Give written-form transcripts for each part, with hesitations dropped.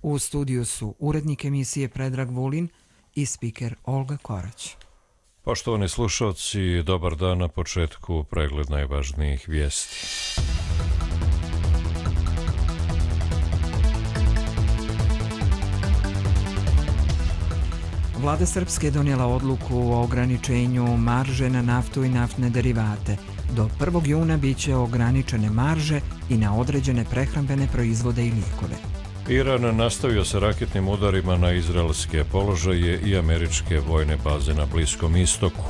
U studiju su urednik emisije Predrag Vulin i spiker Olga Korać. Poštovani slušalci, dobar dan na početku pregled najvažnijih vijesti. Vlada Srpske je donijela odluku o ograničenju marže na naftu i naftne derivate. Do 1. juna bit će ograničene marže i na određene prehrambene proizvode i lijekove. Iran nastavio sa raketnim udarima na izraelske položaje i američke vojne baze na Bliskom istoku.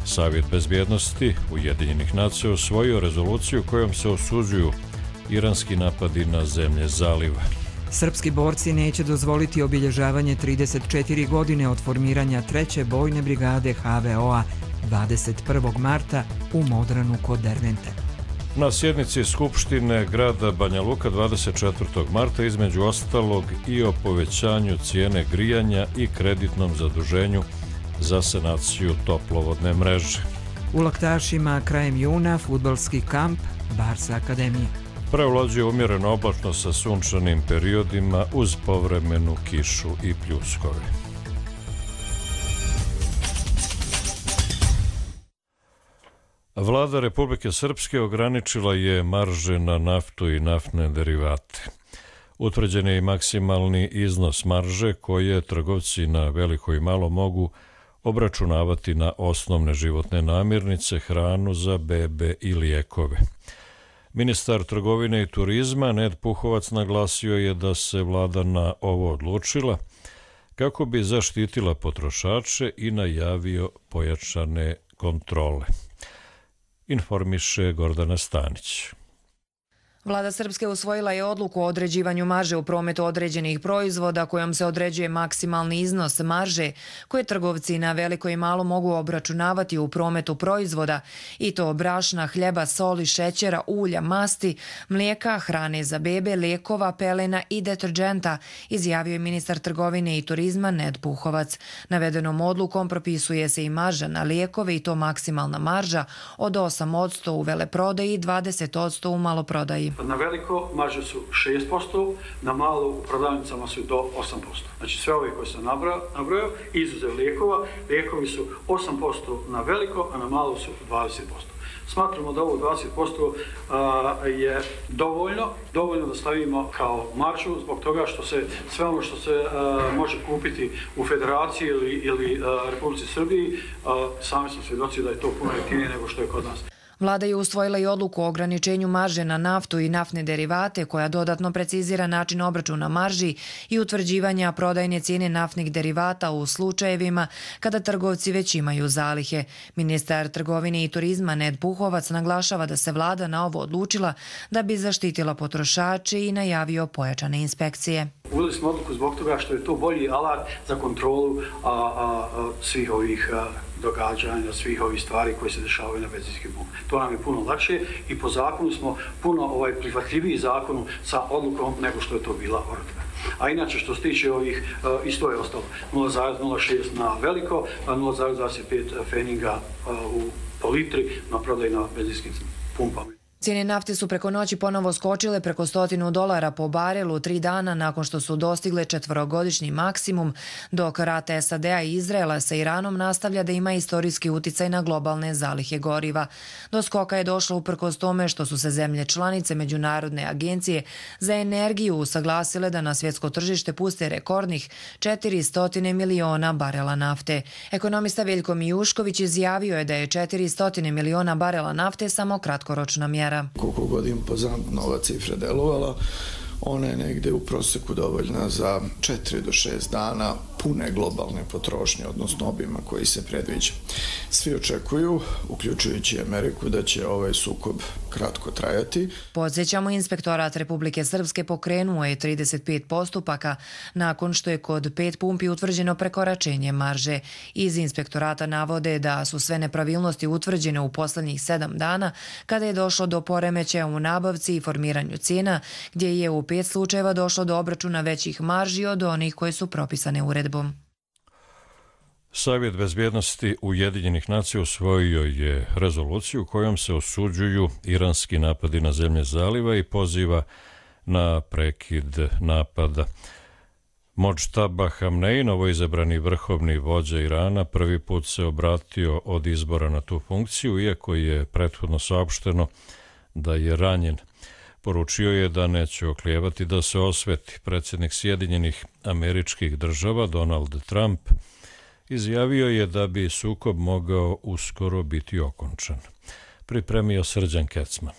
Savjet bezbjednosti Ujedinjenih nacija usvojio rezoluciju kojom se osuđuju iranski napadi na zemlje zaliva. Srpski borci neće dozvoliti obilježavanje 34 godine od formiranja 3. bojne brigade HVO-a 21. marta u Modranu kod Dervente. Na sjednici Skupštine grada Banja Luka 24. marta između ostalog i o povećanju cijene grijanja i kreditnom zaduženju za sanaciju toplovodne mreže. U Laktašima krajem juna fudbalski kamp Barsa Akademije. Prevlađuje umjereno oblačno sa sunčanim periodima uz povremenu kišu i pljuskove. Vlada Republike Srpske ograničila je marže na naftu i naftne derivate. Utvrđen je i maksimalni iznos marže koje trgovci na veliko i malo mogu obračunavati na osnovne životne namirnice, hranu za bebe i lijekove. Ministar trgovine i turizma Ned Puhovac naglasio je da se vlada na ovo odlučila kako bi zaštitila potrošače i najavio pojačane kontrole. Informiše Gordana Stanić. Vlada Srpske usvojila je odluku o određivanju marže u prometu određenih proizvoda kojom se određuje maksimalni iznos marže koje trgovci na veliko i malo mogu obračunavati u prometu proizvoda i to brašna, hljeba, soli, šećera, ulja, masti, mlijeka, hrane za bebe, lijekova, pelena i deterdženta, izjavio je ministar trgovine i turizma Ned Puhovac. Navedenom odlukom propisuje se i marža na lijekove i to maksimalna marža od 8% u veleprodaji i 20% u maloprodaji. Na veliko marže su 6%, na malo u prodavnicama su do 8%. Znači sve ove koje sam nabrojao, izuzev lijekova, lijekovi su 8% na veliko, a na malo su 20%. Smatramo da ovo 20% je dovoljno da stavimo kao maržu zbog toga što se sve ono što se može kupiti u Federaciji ili Republici Srbiji, sami smo svjedoci da je to puno jeftinije nego što je kod nas. Vlada je usvojila i odluku o ograničenju marže na naftu i naftne derivate koja dodatno precizira način obračuna marži i utvrđivanja prodajne cijene naftnih derivata u slučajevima kada trgovci već imaju zalihe. Ministar trgovine i turizma Ned Puhovac naglašava da se vlada na ovo odlučila da bi zaštitila potrošače i najavio pojačane inspekcije. Uveli smo odluku zbog toga što je to bolji alat za kontrolu svih ovih događanja, svih ovih stvari koje se dešavaju na benzinskim pumpama. To nam je puno lakše i po zakonu smo puno prihvatljiviji zakonu sa odlukom nego što je to bila odluka. A inače što se tiče ovih, isto je ostalo 0,06 na veliko, 0,25 feninga po litri na prodaj na benzinskim pumpama. Cijene nafte su preko noći ponovo skočile preko $100 po barelu 3 dana nakon što su dostigle 4-godišnji maksimum, dok rat SAD-a i Izraela sa Iranom nastavlja da ima istorijski uticaj na globalne zalihe goriva. Do skoka je došlo uprkos tome što su se zemlje članice Međunarodne agencije za energiju usaglasile da na svjetsko tržište puste rekordnih 400 miliona barela nafte. Ekonomista Veljko Mijušković izjavio je da je 400 miliona barela nafte samo kratkoročna mjera. Koliko god impozantno ova cifra delovala, ona je negde u proseku dovoljna za 4 do 6 dana pune globalne potrošnje, odnosno obima koji se predviđa. Svi očekuju, uključujući Ameriku, da će ovaj sukob kratko trajati. Podsjećamo, Inspektorat Republike Srpske pokrenuo je 35 postupaka nakon što je kod 5 pumpi utvrđeno prekoračenje marže. Iz inspektorata navode da su sve nepravilnosti utvrđene u poslednjih 7 dana kada je došlo do poremećaja u nabavci i formiranju cijena, gdje je u 5 slučajeva došlo do obračuna većih marži od onih koje su propisane uredbom. Savjet bezbjednosti Ujedinjenih nacija usvojio je rezoluciju kojom se osuđuju iranski napadi na zemlje zaliva i poziva na prekid napada. Modžtaba Hamnej, novoizabrani vrhovni vođa Irana, prvi put se obratio od izbora na tu funkciju, iako je prethodno saopšteno da je ranjen. Poručio je da neće oklijevati da se osveti. Predsjednik Sjedinjenih Američkih Država Donald Trump izjavio je da bi sukob mogao uskoro biti okončan. Pripremio Srđan Kecman.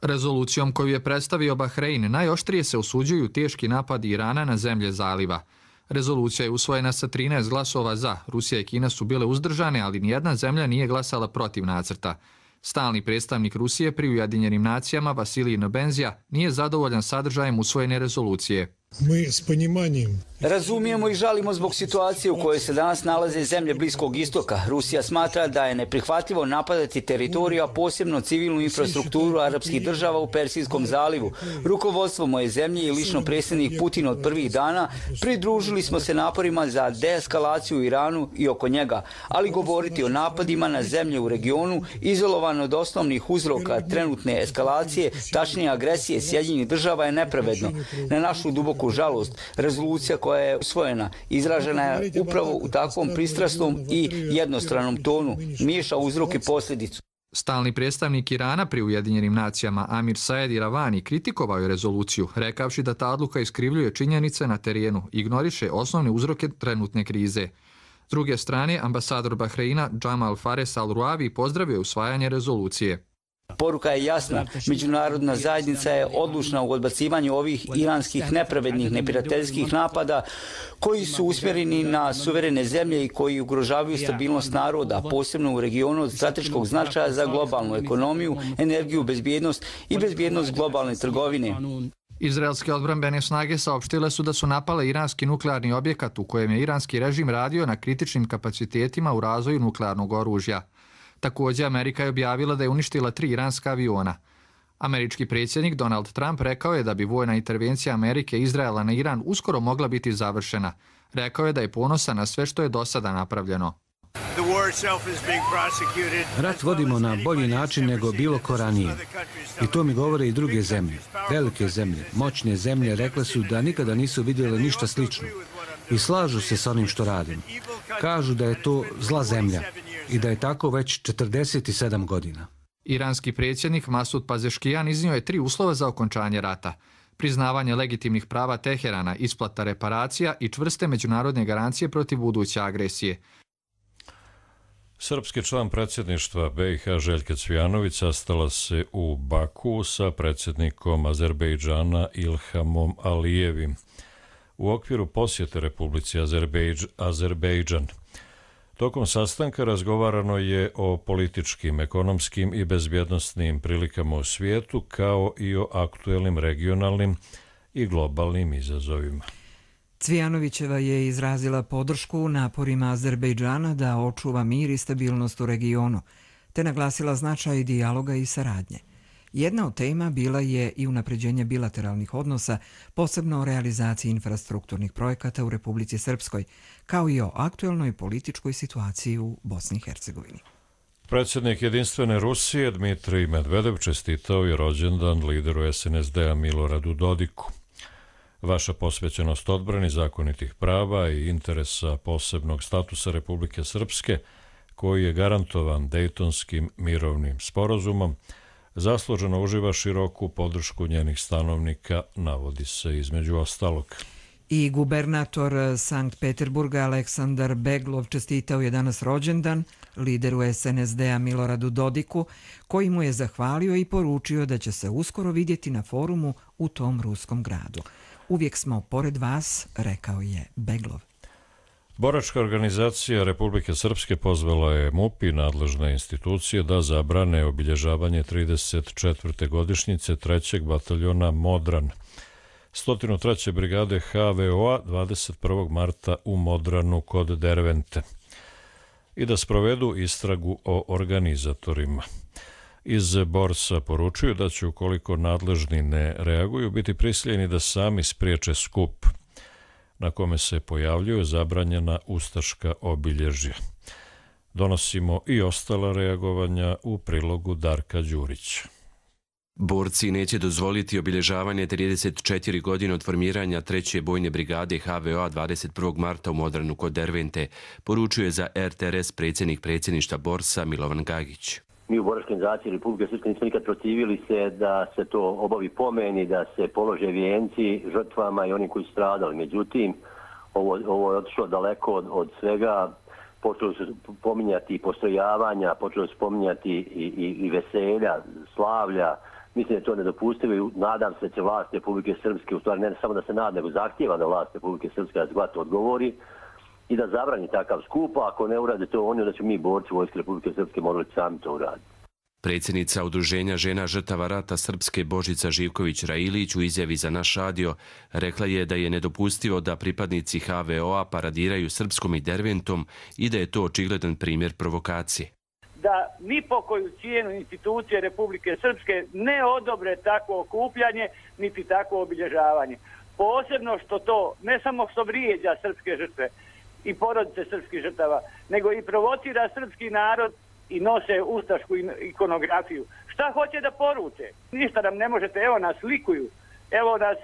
Rezolucijom koju je predstavio Bahrein najoštrije se osuđuju teški napadi Irana na zemlje zaliva. Rezolucija je usvojena sa 13 glasova za. Rusija i Kina su bile uzdržane, ali nijedna zemlja nije glasala protiv nacrta. Stalni predstavnik Rusije pri Ujedinjenim nacijama Vasilij Nebenzija nije zadovoljan sadržajem usvojene rezolucije. Razumijemo i žalimo zbog situacije u kojoj se danas nalaze zemlje Bliskog istoka. Rusija smatra da je neprihvatljivo napadati teritoriju, a posebno civilnu infrastrukturu arapskih država u Persijskom zalivu. Rukovodstvo moje zemlje i lično predsjednik Putin od prvih dana pridružili smo se naporima za deeskalaciju u Iranu i oko njega, ali govoriti o napadima na zemlje u regionu izolovano od osnovnih uzroka trenutne eskalacije, tačnije agresije Sjedinjenih država je nepravedno. Na našu duboku žalost, rezolucija koja je usvojena izražena je upravo u takvom pristrasnom i jednostranom tonu, miješa uzrok i posljedicu. Stalni predstavnik Irana pri Ujedinjenim nacijama Amir Saed Iravani kritikovao je rezoluciju, rekavši da ta odluka iskrivljuje činjenice na terenu, ignoriše osnovne uzroke trenutne krize. S druge strane, ambasador Bahreina Jamal Fares Al-Ruavi pozdravio usvajanje rezolucije. Poruka je jasna. Međunarodna zajednica je odlučna u odbacivanju ovih iranskih nepravednih, neprijateljskih napada koji su usmjereni na suverene zemlje i koji ugrožavaju stabilnost naroda, posebno u regionu od strateškog značaja za globalnu ekonomiju, energiju, bezbjednost i bezbjednost globalne trgovine. Izraelske odbrambene snage saopštile su da su napale iranski nuklearni objekat u kojem je iranski režim radio na kritičnim kapacitetima u razvoju nuklearnog oružja. Također, Amerika je objavila da je uništila 3 iranska aviona. Američki predsjednik Donald Trump rekao je da bi vojna intervencija Amerike i Izraela na Iran uskoro mogla biti završena. Rekao je da je ponosan na sve što je do sada napravljeno. Rat vodimo na bolji način nego bilo ko ranije. I to mi govore i druge zemlje. Velike zemlje, moćne zemlje rekle su da nikada nisu vidjeli ništa slično. I slažu se s onim što radimo. Kažu da je to zla zemlja i da je tako već 47 godina. Iranski predsjednik Masud Pazeškijan iznio je 3 uslova za okončanje rata. Priznavanje legitimnih prava Teherana, isplata reparacija i čvrste međunarodne garancije protiv buduće agresije. Srpski član predsjedništva BiH Željka Cvijanović sastala se u Baku sa predsjednikom Azerbejdžana Ilhamom Alijevim u okviru posjete Republici Azerbejdžan. Tokom sastanka razgovarano je o političkim, ekonomskim i bezbjednosnim prilikama u svijetu, kao i o aktuelnim regionalnim i globalnim izazovima. Cvijanovićeva je izrazila podršku naporima Azerbejdžana da očuva mir i stabilnost u regionu, te naglasila značaj dijaloga i saradnje. Jedna od tema bila je i unapređenje bilateralnih odnosa, posebno o realizaciji infrastrukturnih projekata u Republici Srpskoj, kao i o aktuelnoj političkoj situaciji u Bosni i Hercegovini. Predsjednik Jedinstvene Rusije Dmitrij Medvedev čestitao je rođendan lideru SNSD-a Miloradu Dodiku. Vaša posvećenost odbrani zakonitih prava i interesa posebnog statusa Republike Srpske, koji je garantovan Dejtonskim mirovnim sporazumom, zasluženo uživa široku podršku njenih stanovnika, navodi se između ostalog. I gubernator Sankt Peterburga Aleksandar Beglov čestitao je danas rođendan lideru SNSD-a Miloradu Dodiku, koji mu je zahvalio i poručio da će se uskoro vidjeti na forumu u tom ruskom gradu. Uvijek smo pored vas, rekao je Beglov. Boračka organizacija Republike Srpske pozvala je MUP i nadležne institucije da zabrane obilježavanje 34. godišnjice 3. bataljona Modran 103. brigade HVO-a 21. marta u Modranu kod Dervente i da sprovedu istragu o organizatorima. Iz Borsa poručuju da će, ukoliko nadležni ne reaguju, biti prisiljeni da sami spriječe skup na kome se pojavljuju zabranjena ustaška obilježja. Donosimo i ostala reagovanja u prilogu Darka Đurića. Borci neće dozvoliti obilježavanje 34 godine od formiranja 3. bojne brigade HVO-a 21. marta u Modranu kod Dervente, poručuje za RTRS predsjednik predsjedništva Borsa Milovan Gagić. Mi u Boračkoj organizaciji Republike Srpske nismo nikad protivili se da se to obavi pomen i da se polože vijenci žrtvama i onim koji su stradali. Međutim, ovo je otišlo daleko od svega. Počeli su pominjati postrojavanja, počeli su pominjati i veselja, slavlja. Mislim da je to nedopustivo i nadam se da će vlast Republike Srpske, u stvari ne samo da se nada, nego zahtijeva da vlast Republike Srpske adekvatno odgovori i da zabrani takav skup, a ako ne urade to oni, da će mi borci Vojske Republike Srpske morali sami to uraditi. Predsjednica Udruženja žena žrtava rata Srpske Božica Živković-Railić u izjavi za Naš radio rekla je da je nedopustivo da pripadnici HVO-a paradiraju Srpskom i Derventom i da je to očigledan primjer provokacije. Da ni po koju cijenu institucije Republike Srpske ne odobre takvo okupljanje niti takvo obilježavanje. Posebno što to ne samo što vrijeđa srpske žrtve i porodice srpskih žrtava, nego i provocira srpski narod i nose ustašku ikonografiju. Šta hoće da poruče? Ništa nam ne možete, evo nas likuju, evo nas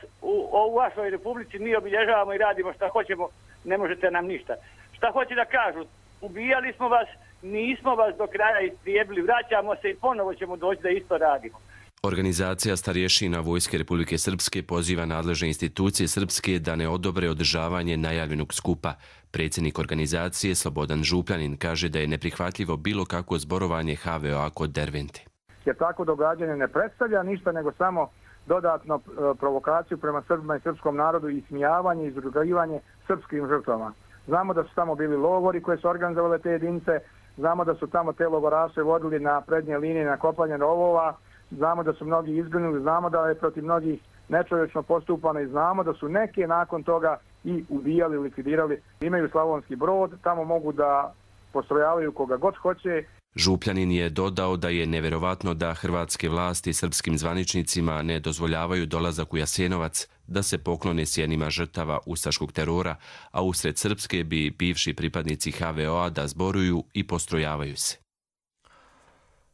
u vašoj republici mi obilježavamo i radimo šta hoćemo, ne možete nam ništa. Šta hoće da kažu? Ubijali smo vas, nismo vas do kraja istrijebili, vraćamo se i ponovo ćemo doći da isto radimo. Organizacija starješina Vojske Republike Srpske poziva nadležne institucije Srpske da ne odobre održavanje najavljenog skupa. Predsjednik organizacije Slobodan Župljanin kaže da je neprihvatljivo bilo kakvo zborovanje HVO-a kod Dervente. Jer tako događanje ne predstavlja ništa nego samo dodatno provokaciju prema Srbima i srpskom narodu i ismijavanje i izrugivanje srpskim žrtvama. Znamo da su tamo bili logori koje su organizovale te jedinice, znamo da su tamo te logoraše vodili na prednje linije na kopanje rovova, znamo da su mnogi izginuli, znamo da je protiv mnogih nečovječno postupano i znamo da su neke nakon toga i ubijali, likvidirali. Imaju Slavonski Brod, tamo mogu da postrojavaju koga god hoće. Župljanin je dodao da je neverovatno da hrvatske vlasti srpskim zvaničnicima ne dozvoljavaju dolazak u Jasenovac, da se poklone sjenima žrtava ustaškog terora, a usred Srpske bi bivši pripadnici HVO-a da zboruju i postrojavaju se.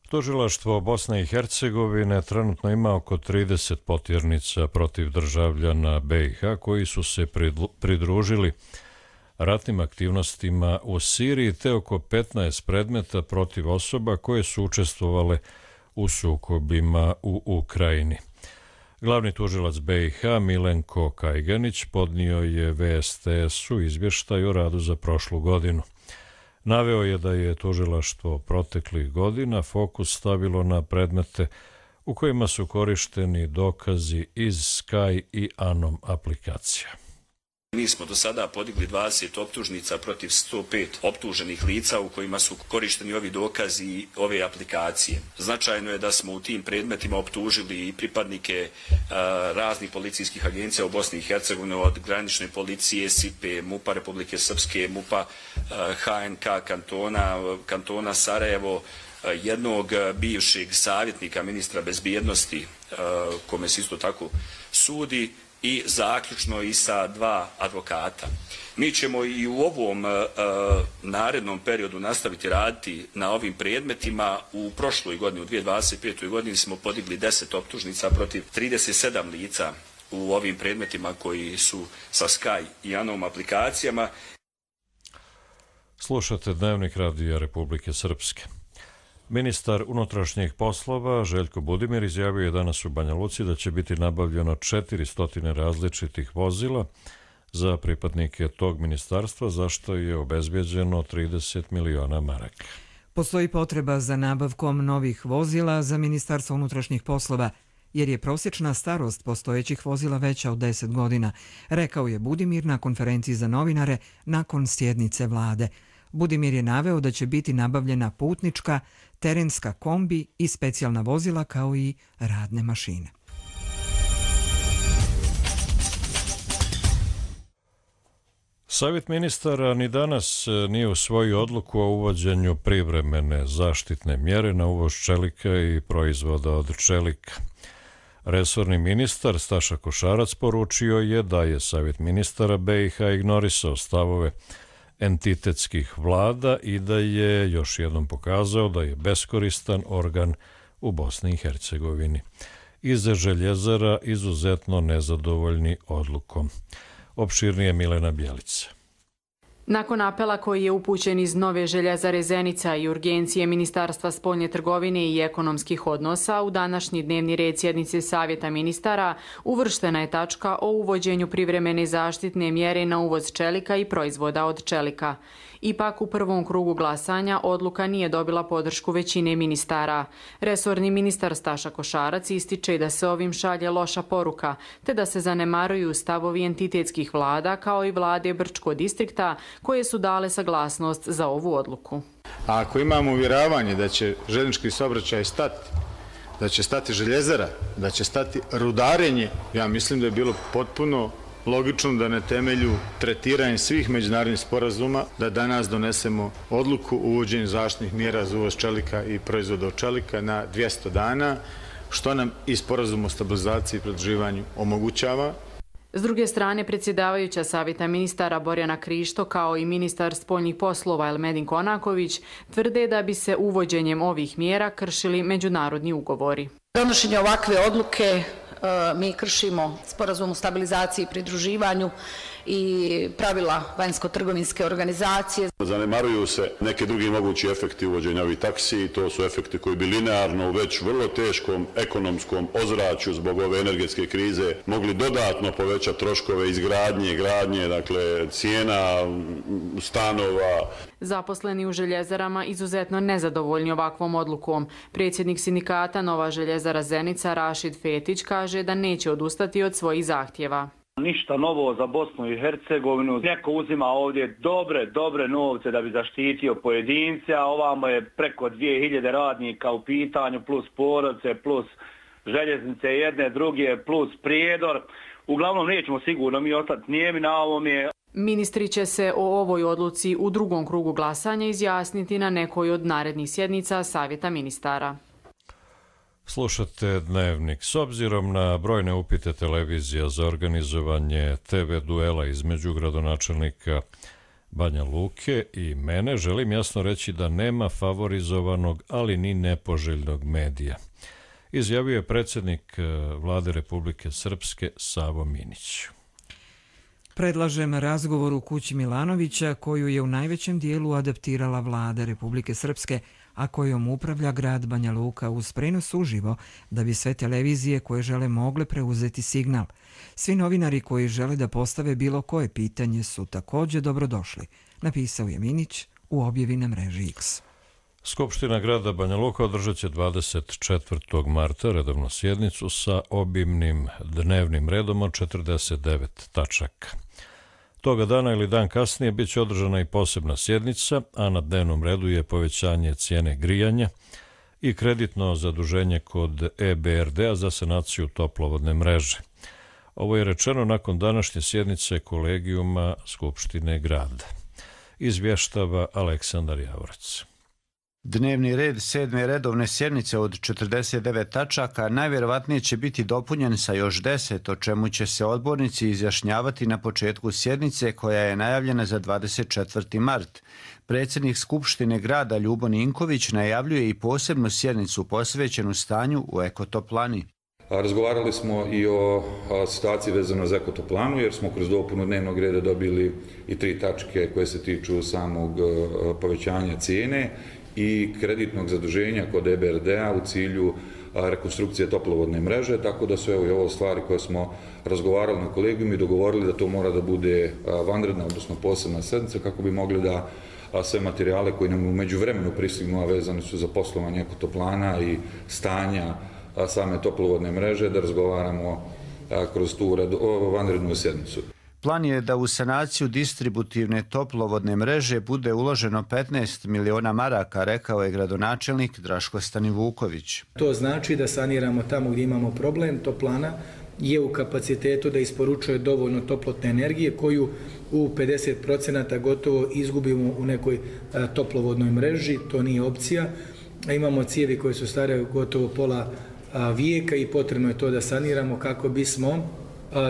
Tužilaštvo Bosne i Hercegovine trenutno ima oko 30 potjernica protiv državljana BiH koji su se pridružili ratnim aktivnostima u Siriji te oko 15 predmeta protiv osoba koje su učestvovale u sukobima u Ukrajini. Glavni tužilac BiH Milenko Kajganić podnio je VSTS-u izvještaj o radu za prošlu godinu. Naveo je da je tužilaštvo proteklih godina fokus stavilo na predmete u kojima su korišteni dokazi iz Sky i Anom aplikacija. Mi smo do sada podigli 20 optužnica protiv 105 optuženih lica u kojima su korišteni ovi dokazi i ove aplikacije. Značajno je da smo u tim predmetima optužili i pripadnike raznih policijskih agencija u Bosni i Hercegovini, od granične policije, SIPE, MUP-a Republike Srpske, MUP-a HNK kantona Sarajevo, jednog bivšeg savjetnika ministra bezbjednosti kome se isto tako sudi, i zaključno i sa 2 advokata. Mi ćemo i u ovom narednom periodu nastaviti raditi na ovim predmetima. U prošloj godini, u 2025. godini smo podigli 10 optužnica protiv 37 lica u ovim predmetima koji su sa Sky i Anom aplikacijama. Slušate Dnevnik Radija Republike Srpske. Ministar unutrašnjih poslova Željko Budimir izjavio je danas u Banja Luci da će biti nabavljeno 400 različitih vozila za pripadnike tog ministarstva, za što je obezbeđeno 30 miliona maraka. Postoji potreba za nabavkom novih vozila za Ministarstvo unutrašnjih poslova, jer je prosječna starost postojećih vozila veća od 10 godina, rekao je Budimir na konferenciji za novinare nakon sjednice vlade. Budimir je naveo da će biti nabavljena putnička, terenska kombi i specijalna vozila kao i radne mašine. Savjet ministara ni danas nije usvojio odluku o uvođenju privremene zaštitne mjere na uvoz čelika i proizvoda od čelika. Resorni ministar Staša Košarac poručio je da je Savjet ministara BiH ignorisao stavove entitetskih vlada i da je još jednom pokazao da je beskoristan organ u Bosni i Hercegovini. iz Željezara izuzetno nezadovoljni odlukom. Opširnije Milena Bjelica. Nakon apela koji je upućen iz Nove Željezare Zenica i urgencije Ministarstva spoljne trgovine i ekonomskih odnosa, u današnji dnevni red sjednice Savjeta ministara uvrštena je tačka o uvođenju privremene zaštitne mjere na uvoz čelika i proizvoda od čelika. Ipak u prvom krugu glasanja odluka nije dobila podršku većine ministara. Resorni ministar Staša Košarac ističe da se ovim šalje loša poruka, te da se zanemaruju stavovi entitetskih vlada kao i vlade Brčkog distrikta koje su dale saglasnost za ovu odluku. A ako imamo uvjeravanje da će željeznički saobraćaj stati, da će stati željezara, da će stati rudarenje, ja mislim da je bilo potpuno logično da na temelju tretiranja svih međunarodnih sporazuma da danas donesemo odluku o uvođenju zaštitnih mjera za uvoz čelika i proizvoda od čelika na 200 dana, što nam i sporazum o stabilizaciji i pridruživanju omogućava. S druge strane, predsjedavajuća Savjeta ministara Borjana Krišto kao i ministar spoljnih poslova Elmedin Konaković tvrde da bi se uvođenjem ovih mjera kršili međunarodni ugovori. Donošenje ovakve odluke mi kršimo sporazum o stabilizaciji i pridruživanju i pravila vanjsko-trgovinske organizacije. Zanemaruju se neki drugi mogući efekti uvođenja ovih taksi i to su efekti koji bi linearno u već vrlo teškom ekonomskom ozračju zbog ove energetske krize mogli dodatno povećati troškove izgradnje, gradnje, dakle cijena stanova. Zaposleni u željezarama izuzetno nezadovoljni ovakvom odlukom. Predsjednik sindikata Nova Željezara Zenica Rašid Fetić kaže da neće odustati od svojih zahtjeva. Ništa novo za Bosnu i Hercegovinu. Neko uzima ovdje dobre novce da bi zaštitio pojedince, a ovamo je preko 2000 radnika u pitanju, plus porodice, plus željeznice jedne, druge, plus prijedor. Uglavnom nećemo sigurno mi ostati nijemi na ovome. Ministri će se o ovoj odluci u drugom krugu glasanja izjasniti na nekoj od narednih sjednica Savjeta ministara. Slušate Dnevnik. S obzirom na brojne upite televizija za organizovanje TV duela između gradonačelnika Banja Luke i mene, želim jasno reći da nema favorizovanog, ali ni nepoželjnog medija. Izjavio je predsjednik Vlade Republike Srpske Savo Minić. Predlažem razgovor u kući Milanovića koju je u najvećem dijelu adaptirala Vlada Republike Srpske, a kojom upravlja grad Banja Luka uz prenos uživo da bi sve televizije koje žele mogle preuzeti signal. Svi novinari koji žele da postave bilo koje pitanje su također dobrodošli, napisao je Minić u objavi na mreži X. Skupština grada Banja Luka održat će 24. marta redovnu sjednicu sa obimnim dnevnim redom od 49 tačaka. Toga dana ili dan kasnije bit će održana i posebna sjednica, a na dnevnom redu je povećanje cijene grijanja i kreditno zaduženje kod EBRD-a za sanaciju toplovodne mreže. Ovo je rečeno nakon današnje sjednice kolegijuma Skupštine grada. Izvještava Aleksandar Javorac. Dnevni red 7. redovne sjednice od 49 tačaka najvjerovatnije će biti dopunjen sa još 10, o čemu će se odbornici izjašnjavati na početku sjednice koja je najavljena za 24. mart. Predsjednik Skupštine grada Ljubo Ninković najavljuje i posebnu sjednicu posvećenu stanju u ekotoplani. Razgovarali smo i o situaciji vezano za ekotoplanu jer smo kroz dopunu dnevnog reda dobili i 3 tačke koje se tiču samog povećanja cijene i kreditnog zaduženja kod EBRD-a u cilju rekonstrukcije toplovodne mreže, tako da su i ovo stvari koje smo razgovarali na kolegijum i dogovorili da to mora da bude vanredna, odnosno posebna sjednica kako bi mogli da sve materijale koji nam u međuvremenu pristignu, a vezani su za poslovanje ekotoplana i stanja same toplovodne mreže, da razgovaramo kroz tu vanrednu sjednicu. Plan je da u sanaciju distributivne toplovodne mreže bude uloženo 15 miliona maraka, rekao je gradonačelnik Draško Stanivuković. To znači da saniramo tamo gdje imamo problem. Toplana je u kapacitetu da isporučuje dovoljno toplotne energije koju u 50% gotovo izgubimo u nekoj toplovodnoj mreži. To nije opcija. Imamo cijevi koje su stare gotovo pola vijeka i potrebno je to da saniramo kako bismo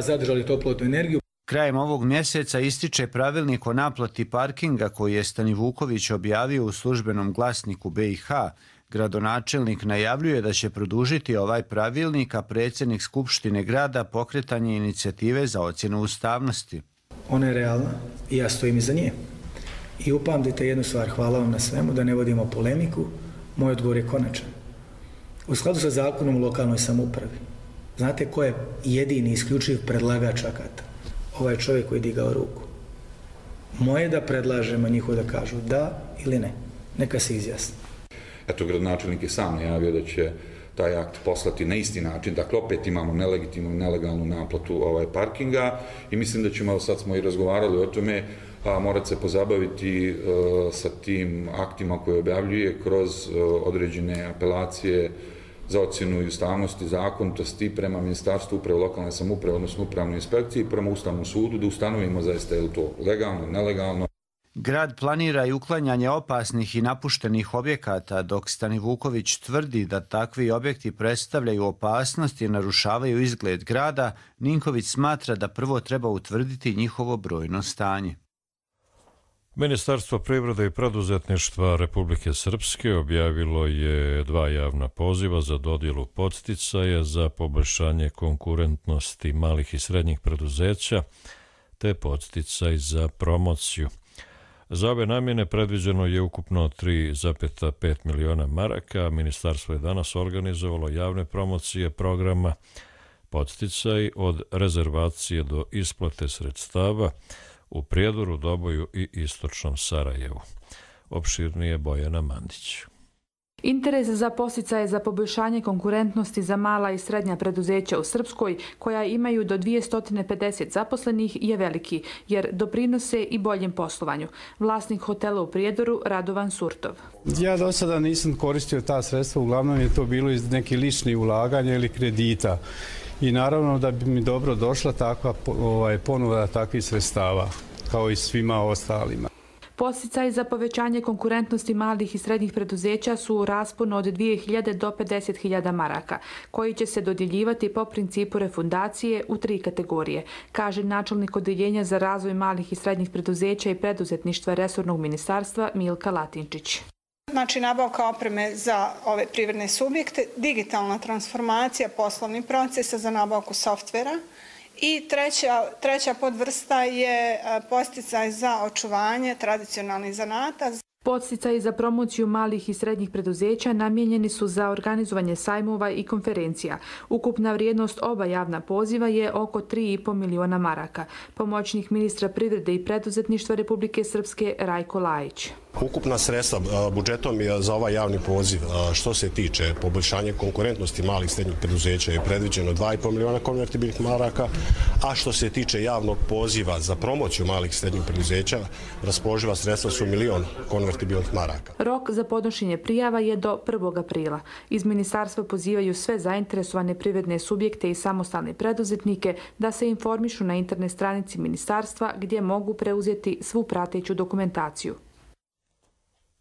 zadržali toplotnu energiju. Krajem ovog mjeseca ističe pravilnik o naplati parkinga koji je Stanivuković objavio u službenom glasniku BiH. Gradonačelnik najavljuje da će produžiti ovaj pravilnik, a predsjednik Skupštine grada pokretanje inicijative za ocjenu ustavnosti. Ona je realna i ja stojim iza nje. I upamtite jednu stvar, hvala vam na svemu, da ne vodimo polemiku, moj odgovor je konačan. U skladu sa zakonom o lokalnoj samoupravi, znate ko je jedini isključiv predlagač akata? Ovaj čovjek koji je digao ruku. Moje je da predlažemo, njihovo da kažu da ili ne. Neka se izjasni. Eto, gradonačelnik je sam najavio da će taj akt poslati na isti način. Dakle, opet imamo nelegitimnu i nelegalnu naplatu parkinga i mislim da ćemo, sad smo i razgovarali o tome, morati se pozabaviti sa tim aktima koje objavljuje kroz određene apelacije za ocjenu i ustavnosti, zakonitosti prema Ministarstvu uprave lokalne samouprave, odnosno upravnoj inspekciji, prema Ustavnom sudu, da ustanovimo zaista je li to legalno, nelegalno. Grad planira i uklanjanje opasnih i napuštenih objekata, dok Stani Vuković tvrdi da takvi objekti predstavljaju opasnost i narušavaju izgled grada, Ninković smatra da prvo treba utvrditi njihovo brojno stanje. Ministarstvo privrede i preduzetništva Republike Srpske objavilo je 2 javna poziva za dodjelu podsticaja za poboljšanje konkurentnosti malih i srednjih preduzeća te podsticaj za promociju. Za ove namjene predviđeno je ukupno 3,5 miliona maraka. Ministarstvo je danas organizovalo javne promocije programa podsticaj od rezervacije do isplate sredstava u Prijedoru, Doboju i istočnom Sarajevu. Opširnije Bojana Mandić. Interes za podsticaje za poboljšanje konkurentnosti za mala i srednja preduzeća u Srpskoj, koja imaju do 250 zaposlenih, je veliki, jer doprinose i boljem poslovanju. Vlasnik hotela u Prijedoru, Radovan Surtov. Ja do sada nisam koristio ta sredstva, uglavnom je to bilo iz nekih ličnih ulaganja ili kredita. I naravno da bi mi dobro došla takva ponuda takvih sredstava, kao i svima ostalima. Podsticaji za povećanje konkurentnosti malih i srednjih preduzeća su u rasponu od 2.000 do 50.000 maraka, koji će se dodjeljivati po principu refundacije u 3 kategorije, kaže načelnik Odeljenja za razvoj malih i srednjih preduzeća i preduzetništva resornog ministarstva Milka Latinčić. Znači, nabavka opreme za ove privredne subjekte, digitalna transformacija poslovnih procesa za nabavku softvera i treća podvrsta je podsticaj za očuvanje tradicionalnih zanata. Podsticaji za promociju malih i srednjih preduzeća namijenjeni su za organizovanje sajmova i konferencija. Ukupna vrijednost oba javna poziva je oko 3,5 miliona maraka. Pomoćnik ministra privrede i preduzetništva Republike Srpske Rajko Lajić. Ukupna sredstva budžetom je za ovaj javni poziv što se tiče poboljšanja konkurentnosti malih i srednjih preduzeća je predviđeno 2,5 miliona konvertibilnih maraka, a što se tiče javnog poziva za promociju malih i srednjih preduzeća, raspoloživa sredstva su 1 milion konvertibilnih maraka. Rok za podnošenje prijava je do 1. aprila. Iz ministarstva pozivaju sve zainteresovane privredne subjekte i samostalne preduzetnike da se informišu na internet stranici ministarstva gdje mogu preuzeti svu prateću dokumentaciju.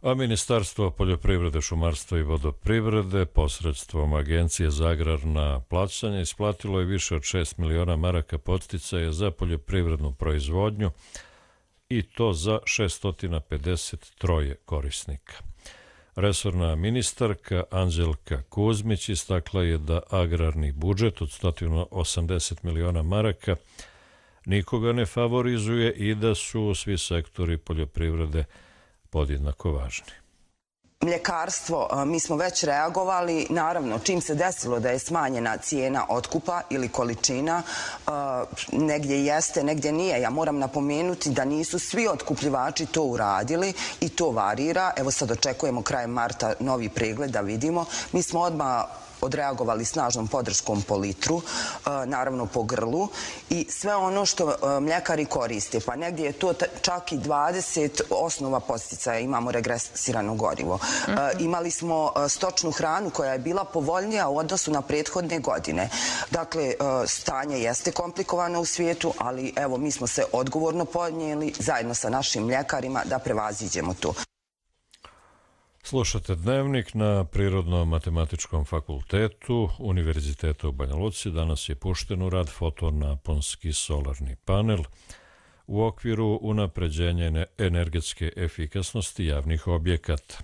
A Ministarstvo poljoprivrede, šumarstva i vodoprivrede posredstvom Agencije za agrarna plaćanja isplatilo je više od 6 miliona maraka podsticaja za poljoprivrednu proizvodnju i to za 653 korisnika. Resorna ministarka Anđelka Kuzmić istakla je da agrarni budžet od 180 miliona maraka nikoga ne favorizuje i da su svi sektori poljoprivrede podjednako važni. Mljekarstvo, mi smo već reagovali, naravno čim se desilo da je smanjena cijena otkupa ili količina, negdje jeste, negdje nije. Ja moram napomenuti da nisu svi otkupljivači to uradili i to varira. Evo sad očekujemo krajem marta novi pregled da vidimo. Mi smo odmah odreagovali snažnom podrškom po litru, naravno po grlu i sve ono što mljekari koriste, pa negdje je to čak i 20 osnova podsticaja, imamo regresirano gorivo. Imali smo stočnu hranu koja je bila povoljnija u odnosu na prethodne godine. Dakle, stanje jeste komplikovano u svijetu, ali evo mi smo se odgovorno podnijeli zajedno sa našim mljekarima da prevaziđemo to. Slušate Dnevnik na Prirodno-matematičkom fakultetu Univerziteta u Banja Luci. Danas je pušten u rad fotonaponski solarni panel u okviru unapređenja energetske efikasnosti javnih objekata.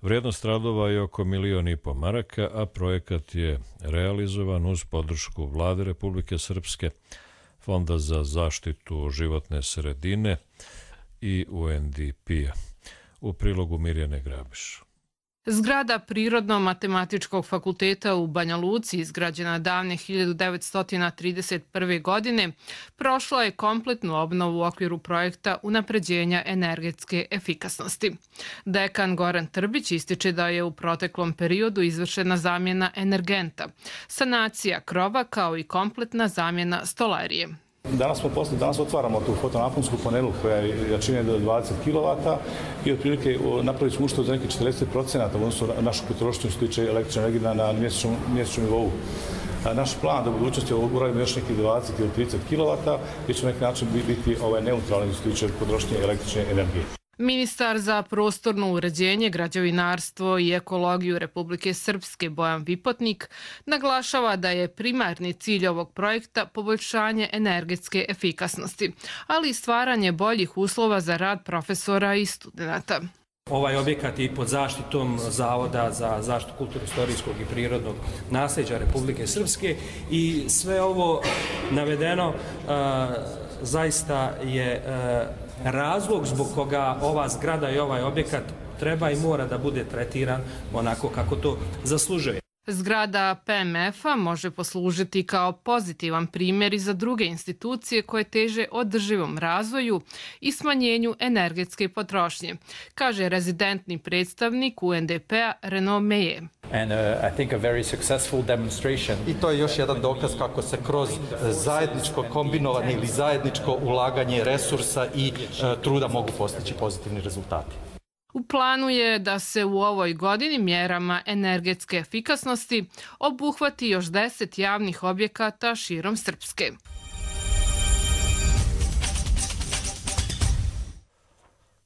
Vrijednost radova je oko 1,5 miliona maraka, a projekat je realizovan uz podršku Vlade Republike Srpske, Fonda za zaštitu životne sredine i UNDP-a. U prilogu Mirjane Grabiš. Zgrada Prirodno-matematičkog fakulteta u Banja Luci, izgrađena davne 1931. godine, prošla je kompletnu obnovu u okviru projekta unapređenja energetske efikasnosti. Dekan Goran Trbić ističe da je u proteklom periodu izvršena zamjena energenta, sanacija krova kao i kompletna zamjena stolarije. Danas otvaramo tu fotonaponsku panelu koja je jačine do 20 kW i otprilike napravili smo uštedu za nekih 40% odnosno našu potrošnju što tiče električne energije na mjesečnom nivou. Naš plan da u budućnosti uradimo još nekih 20 ili 30 kW gdje će na neki način biti neutralni što tiče potrošnje električne energije. Ministar za prostorno uređenje, građevinarstvo i ekologiju Republike Srpske Bojan Vipotnik naglašava da je primarni cilj ovog projekta poboljšanje energetske efikasnosti, ali i stvaranje boljih uslova za rad profesora i studenata. Ovaj objekat je pod zaštitom Zavoda za zaštitu kulturno-istorijskog i prirodnog nasljeđa Republike Srpske i sve ovo navedeno zaista je razlog zbog koga ova zgrada i ovaj objekat treba i mora da bude tretiran onako kako to zaslužuje. Zgrada PMF-a može poslužiti kao pozitivan primjer i za druge institucije koje teže održivom razvoju i smanjenju energetske potrošnje, kaže rezidentni predstavnik UNDP-a Renaud Meyer. I to je još jedan dokaz kako se kroz zajedničko kombinovanje ili zajedničko ulaganje resursa i truda mogu postići pozitivni rezultati. U planu je da se u ovoj godini mjerama energetske efikasnosti obuhvati još 10 javnih objekata širom Srpske.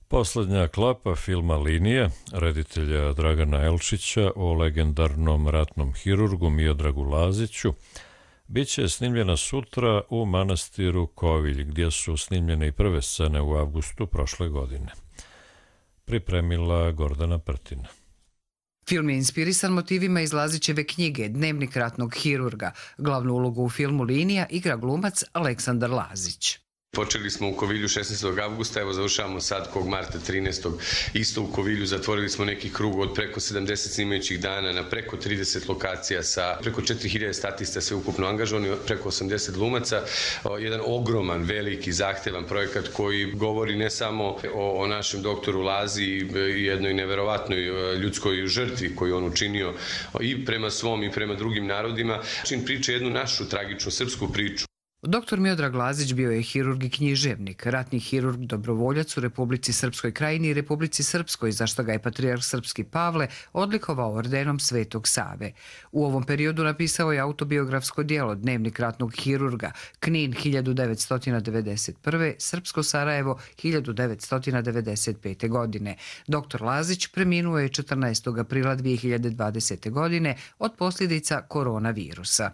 Posljednja klapa filma Linija, reditelja Dragana Elčića o legendarnom ratnom hirurgu Miodragu Laziću, bit će snimljena sutra u manastiru Kovilj, gdje su snimljene i prve scene u avgustu prošle godine. Pripremila Gordana Prtina. Film je inspirisan motivima iz Lazićeve knjige Dnevnik ratnog hirurga. Glavnu ulogu u filmu Linija igra glumac Aleksandar Lazić. Počeli smo u Kovilju 16. avgusta, evo završavamo sad kog marta 13. isto u Kovilju. Zatvorili smo neki krug od preko 70 snimajućih dana na preko 30 lokacija sa preko 4000 statista sve ukupno angažovani, preko 80 glumaca. Jedan ogroman, veliki, zahtevan projekat koji govori ne samo o našem doktoru Lazi i jednoj neverovatnoj ljudskoj žrtvi koju on učinio i prema svom i prema drugim narodima. Čin priča jednu našu tragičnu srpsku priču. Doktor Miodrag Lazić bio je hirurg i književnik, ratni hirurg dobrovoljac u Republici Srpskoj Krajini i Republici Srpskoj, za što ga je patrijarh Srpski Pavle odlikovao ordenom Svetog Save. U ovom periodu napisao je autobiografsko djelo Dnevnik ratnog hirurga, Knin 1991. Srpsko Sarajevo 1995. godine. Doktor Lazić preminuo je 14. aprila 2020. godine od posljedica koronavirusa.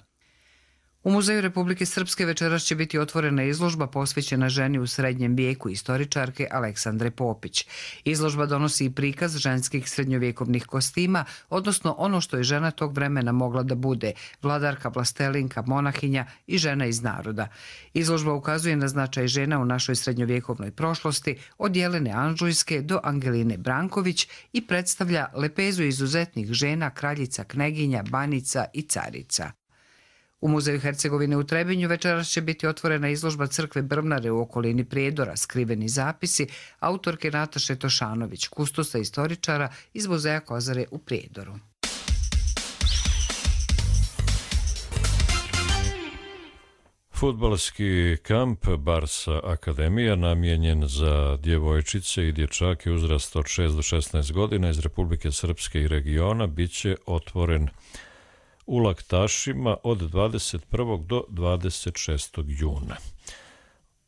U Muzeju Republike Srpske večeras će biti otvorena izložba posvećena ženi u srednjem vijeku istoričarke Aleksandre Popić. Izložba donosi i prikaz ženskih srednjovjekovnih kostima, odnosno ono što je žena tog vremena mogla da bude, vladarka, vlastelinka, monahinja i žena iz naroda. Izložba ukazuje na značaj žena u našoj srednjovjekovnoj prošlosti, od Jelene Anžujske do Angeline Branković i predstavlja lepezu izuzetnih žena, kraljica, kneginja, banica i carica. U Muzeju Hercegovine u Trebinju večeras će biti otvorena izložba crkve Brvnare u okolini Prijedora, skriveni zapisi autorke Nataše Tošanović, kustosa istoričara iz Muzeja Kozare u Prijedoru. Fudbalski kamp Barsa Akademija, namijenjen za djevojčice i dječake uzrasta od 6 do 16 godina iz Republike Srpske i regiona, bit će otvoren u Laktašima od 21. do 26. juna.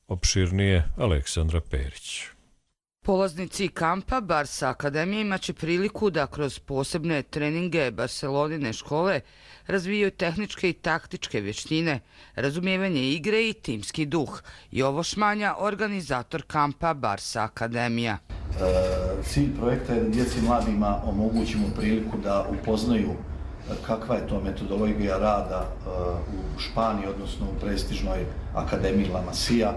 Opširnije Aleksandra Perić. Polaznici kampa Barsa Akademije imaće priliku da kroz posebne treninge Barcelonine škole razvijaju tehničke i taktičke vještine, razumijevanje igre i timski duh. Jovo Šmanja, organizator kampa Barsa Akademija. Cilj projekta je da djeci i mladima omogućimo priliku da upoznaju kakva je to metodologija rada u Španiji, odnosno u prestižnoj akademiji La Masia,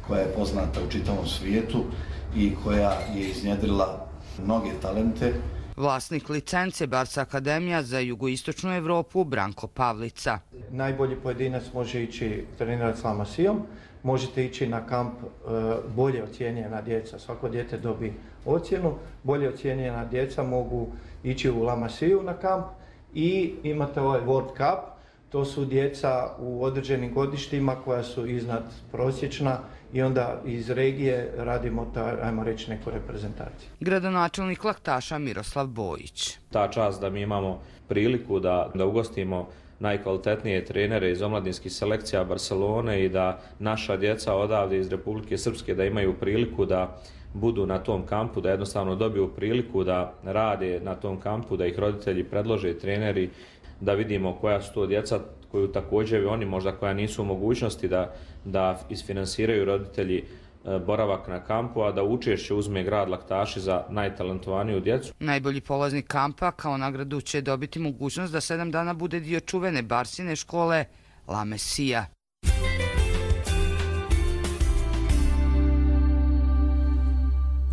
koja je poznata u čitavom svijetu i koja je iznjedrila mnoge talente. Vlasnik licence Barsa Akademija za jugoistočnu Evropu Branko Pavlica. Najbolji pojedinac može ići trenirati s La Masijom, možete ići na kamp bolje ocijenjena djeca. Svako dijete dobi ocjenu, bolje ocijenjena djeca mogu ići u La Masiju na kamp i imate ovaj World Cup. To su djeca u određenim godištima koja su iznad prosječna i onda iz regije radimo, ajmo reći, neku reprezentaciju. Gradonačelnik Laktaša Miroslav Bojić. Ta čast da mi imamo priliku da ugostimo najkvalitetnije trenere iz omladinskih selekcija Barcelone i da naša djeca odavde iz Republike Srpske da imaju priliku da budu na tom kampu, da jednostavno dobiju priliku da rade na tom kampu, da ih roditelji predlože, treneri, da vidimo koja su to djeca koju također oni možda koja nisu u mogućnosti da isfinansiraju roditelji boravak na kampu, a da učešće uzme grad Laktaši za najtalentovaniju djecu. Najbolji polaznik kampa kao nagradu će dobiti mogućnost da 7 dana bude dio čuvene Barsine škole La Masia.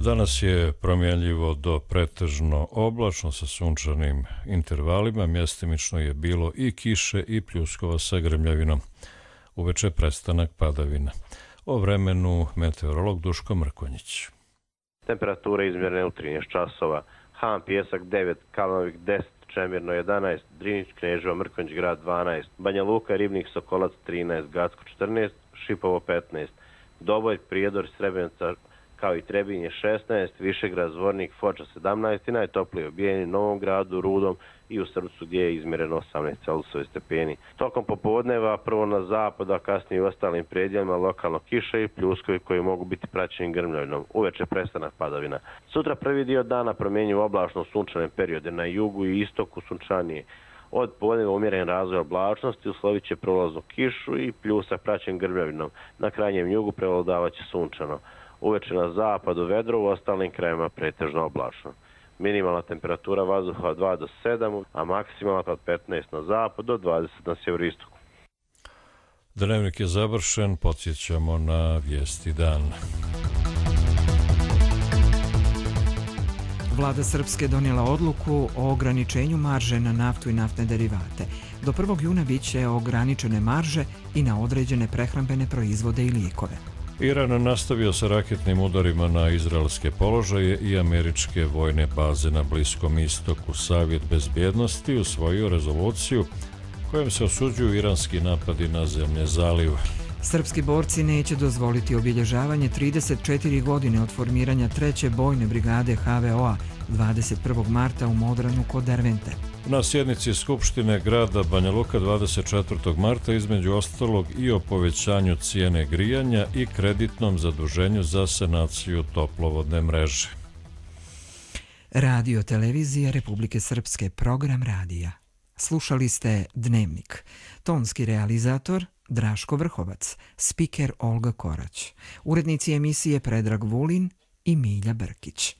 Danas je promjenljivo do pretežno oblačno sa sunčanim intervalima, mjestimično je bilo i kiše i pljuskova sa grmljavinom. Uveče prestanak padavina. O vremenu meteorolog Duško Mrkonjić. Temperature izmjerne u 13 časova. Han Pjesak 9, Kalnovik 10, Čemirno 11, Drinić, Kneževo, Mrkonjić grad 12, Banja Luka, Ribnik, Sokolac 13, Gacko 14, Šipovo 15, Doboj, Prijedor, Srebrenica kao i Trebinje 16, Višegrad, Zvornik, Foča 17 i najtoplije Bijeni, Novom Gradu, Rudom i u Srpcu gdje je izmjereno 18 celzijusovih stepeni. Tokom popodneva prvo na zapadu, a kasnije u ostalim predjelima lokalno kiša i pljuskovi koji mogu biti praćeni grmljavinom. Uveče prestanak padavina. Sutra prvi dio dana promjenjuju oblačno sunčane periode, na jugu i istoku sunčanije. Od podneva umjeren razvoj oblačnosti uslovit će prolaznu kišu i pljusak praćen grmljavinom. Na krajnjem jugu prevladavaće sunčano. Uveče na zapadu vedro, u ostalim krajevima pretežno oblačno. Minimalna temperatura vazduha od 2 do 7, a maksimalna od 15 na zapad do 20 na sjeveroistoku. Dnevnik je završen, podsjećamo na vijesti dana. Vlada Srpske donijela odluku o ograničenju marže na naftu i naftne derivate. Do 1. juna bit će ograničene marže i na određene prehrambene proizvode i lijekove. Iran nastavio sa raketnim udarima na izraelske položaje i američke vojne baze na Bliskom istoku. Savjet bezbjednosti usvojio rezoluciju kojom se osuđuju iranski napadi na zemlje zaliva. Srpski borci neće dozvoliti obilježavanje 34 godine od formiranja 3. bojne brigade HVO-a 21. marta u Modranu kod Dervente. Na sjednici Skupštine grada Banja Luka 24. marta između ostalog i o povećanju cijene grijanja i kreditnom zaduženju za sanaciju toplovodne mreže. Radio televizija Republike Srpske, program radija. Slušali ste Dnevnik. Tonski realizator Draško Vrhovac, spiker Olga Korać, urednici emisije Predrag Vulin i Milja Brkić.